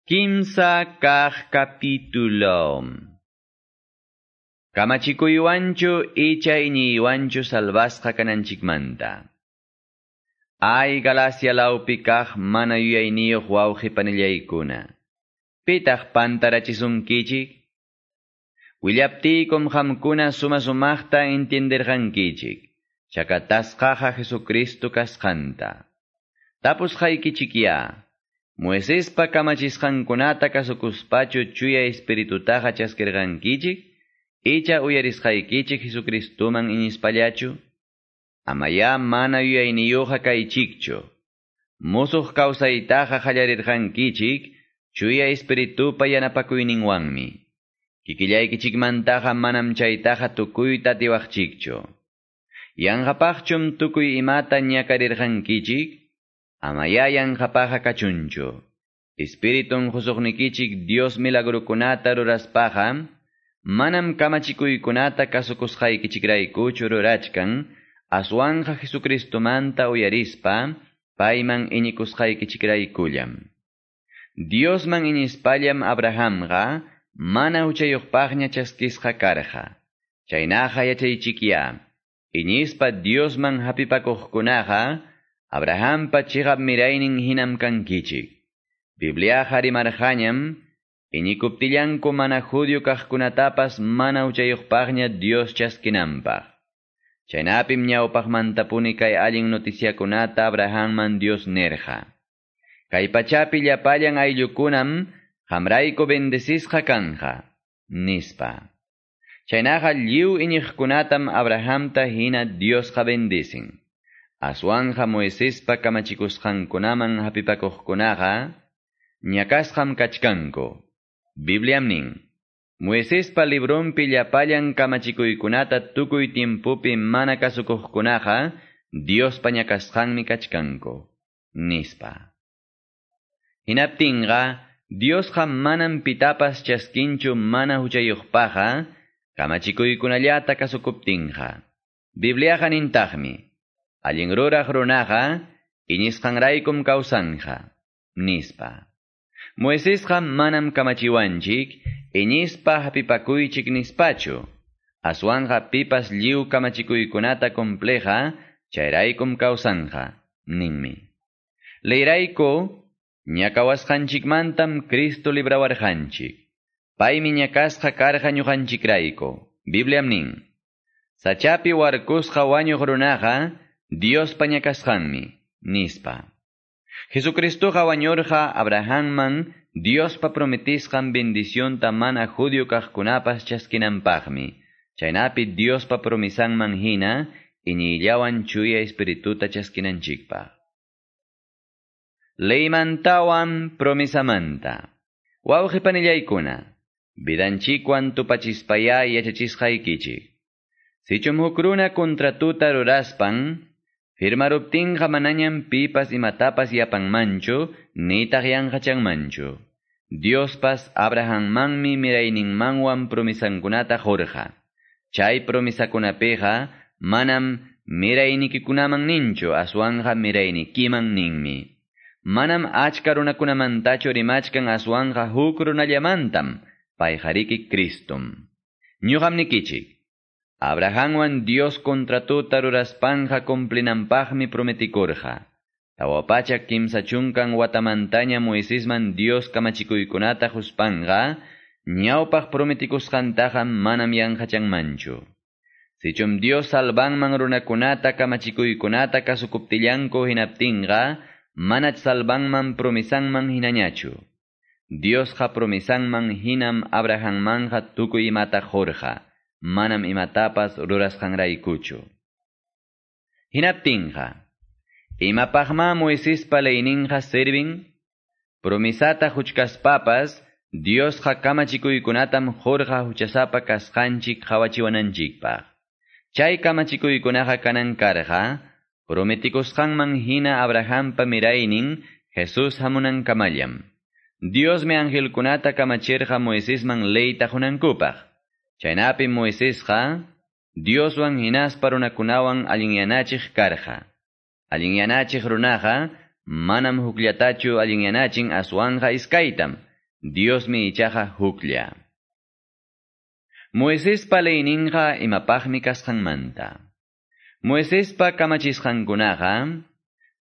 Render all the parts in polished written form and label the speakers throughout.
Speaker 1: Kimsa kaq capítulo. Kamachikuywanchu icha iñiywanchu salvasqa kananchikmanta. Ay Galacia lawpi kaq mana yuyayniyuq wawqi panillaykuna. Pitaq pantarachisunkichik? Willaptiykum qamkuna suma sumaqta entienderqankichik. Chakatasqaqa Jesucristo kasqanta. Tapusqaykichikya. Moisespa kamachisqankunata kasukuspachu chuya espiritutaqa chaskirqankichik? Icha uyarisqaykichik Jesucristoman iñispallachu? Amaya mana yuyayniyuqa kaychikchu. Musuq kawsaytaqa qallarirqankichik chuya espiritupa yanapakuyninwanmi. Kikillaykichikmantaqa manam chaytaqa tukuyta atiwaqchikchu. Yanqapaqchum tukuy imata ñakarirqankichik? Amaya yanqapaqa kachunchu. Espiritun husuqnikichik Dios milagrukunata ruraspaqa, manam kamachikuykunata kasukusqaykichikraykuchu rurachkan, aswanja Jesucristomanta uyarispa, payman iñikusqaykichikraykullam. Diosman iñispallam Abrahamqa, mana huchayuqpaqña chaskisqa karqa. Chaynaqa yachaychikya, iñispa Diosman hapipakuqkunaqa, Abrahampa chiqap miraynin hinam kankichik. Bibliaqa rimarqañam, iñikuptillanku mana judío kaqkunatapas mana huchayuqpaqña Dios chaskinanpaq. Chaynapim ñawpaqmantapuni kay allin noticiakunata Abrahamman Dios nerqa. Kay pachapi llapallan ayllukunam qamrayku bendecisqa kanja, nispa. Chaynaqa lliw iñiqkunatam Abrahamta hina Diosqa bendicin. Aswanja Moisespa kamachikusqankunaman hapipakuqkunaqa ñakasqam kachkanku. Bibliam nin, Moisespa librunpi llapallan kamachikuykunata tukuy tiempopi mana kasukuqkunaqa Diospa ñakasqanmi kachkanku, nispa. Hinaptinqa, Diosqa manam pitapas chaskinchu mana huchayuqpaqqa kamachikuykunallata kasukuptinqa. Bibliaqa nintaqmi, allin ruraq runaqa iñisqanraykum kawsanja, nispa. Moisesqa manam kamachiwanchik, iñispa hapipakuychik nispachu. Aswanja pipas lliw kamachikuykunata compleja, chayraykum kawsanja, ninmi. Leyrayku, ñakawasqanchikmantam Cristo librawarqanchik. Paymi ñakasqa karqa ñuqanchikrayku. Bibliam nin. Sachapi warkusqa wañuq runaqa, Diospa ñakasqanmi, nispa. Jesucristoqa wañurqa Abrahamman Diospa prometisqan bendicionta mana judío kaqkunapas chaskinanpaqmi. Chaynapi Diospa promisanman hina, iñiyllawan chuya espirituta chaskinanchikpaq. Leymantawan promisamanta. Wawqi panillaykuna, vidanchikwan tupachispaya yachachisqaykichik. Sichum huk runa contratuta ruraspan, firmaruptinqa manañam pipas imatapas yapanmanchu, nitaq yanqachanmanchu. Diospas Abrahammanmi mirayninmanwan promisankunata qurqa. Chay promisakunapiqa manam miraynikikunaman ninchu, aswanja miraynikiman ninmi. Manam achka runakunamantachu rimachkan aswanja huk runallamantam, payqariki Cristum. Ñuqam nikichik. Abrahamwan Dios contratuta ruraspanja cumplinanpaqmi prometikurqa. 430 watamantaña Moisesman Dios kamachikuykunata huspanja, ñawpaq prometikusqantaqa manam yanqachanmanchu. Sichum Dios salvanman runakunata kamachikuykunata kasukuptillanku hinaptinqa, manach salvanman promisanman hinañachu. Diosqa promisanman hinam Abrahammanja tukuy imata qurqa, manam imatapas rurasqanraykuchu. Hinaptinqa, imapaqma Moisespa leyninqa servin? Promisata huchkaspapas, Diosqa kamachikuykunatam qurqa huchasapa kasqanchik qawachiwananchikpaq. Chay kamachikuykunaqa kanan karqa, prometikusqanman hina Abrahampa miraynin Jesús hamunankamallam. Diosmi angelkunata kamachirqa Moisesman leyta hunankupaq. Chaynapi Moisesqa Dioswan hinaspa runakunawan allinyanachiq karqa. Allinyanachiq runaqa manam hukllatachu allinyanachin aswanja iskaytam. Diosmi ichaqa huklla. Moisespa leyninqa imapaqmi kasqanmanta. Moisespa kamachisqankunaqa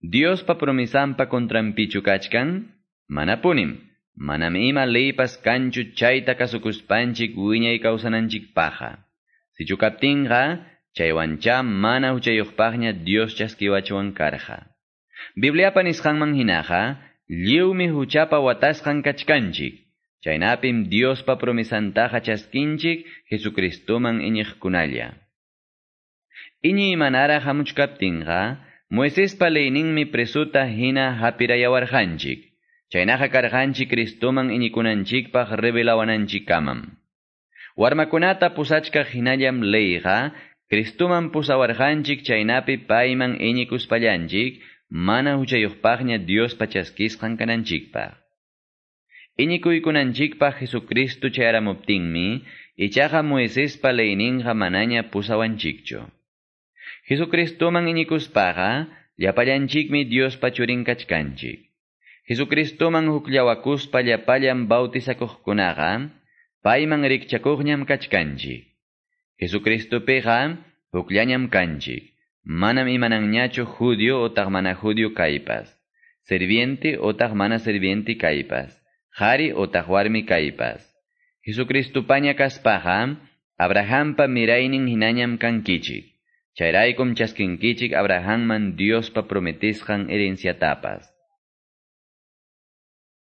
Speaker 1: Diospa promisanpa contranpichu kachkan? Manapunim. Manam ima leypas kanchu chayta kasukuspanchik wiñay kawsananchikpaqqa. Sichu kaptinqa, chaywancha mana huchayuqpaqña Dios chaskiwachwan karqa. Bibliapa nisqanman hinaqa, lliwmi huchapa watasqan kachkanchik. Chaynapim Diospa promisantaqa chaskinchik Jesucristoman iñiqkunalla. Iñiy manaraq hamuchkaptinqa, Moisespa leyninmi presuta hina hapirayawarqanchik. Chaynaqa karqanchik Cristoman iñikunanchikpaq revelawananchikkamam. Warmakunata pusachkaq hinallam leyqa, Cristoman pusawarqanchik chaynapi payman iñikuspallanchik, mana huchayuqpaqña Diospa chaskisqan kananchikpaq. Iñikuykunanchikpaq Jesucristo chayaramuptinmi, ichaqa Moisespa leyninqa manaña pusawanchikchu. Jesucristoman iñikuspaqa, llapallanchikmi Diospa churin kachkanchik. Jesucristoman hukllawakuspa llapallan bautizakuqkunaqa, payman rikchakuqñam kachkanchik. Jesucristopiqa hukllañam kanchik. Manam imananñachu judío otaq mana judío kaypas, serviente otaq mana serviente kaypas, qhari otaq warmi kaypas. Jesucristopaña kaspaqa, Abrahampa miraynin hinañam kankichik. Chayraykum chaskinkichik Abrahamman Diospa prometisqan herenciatapas.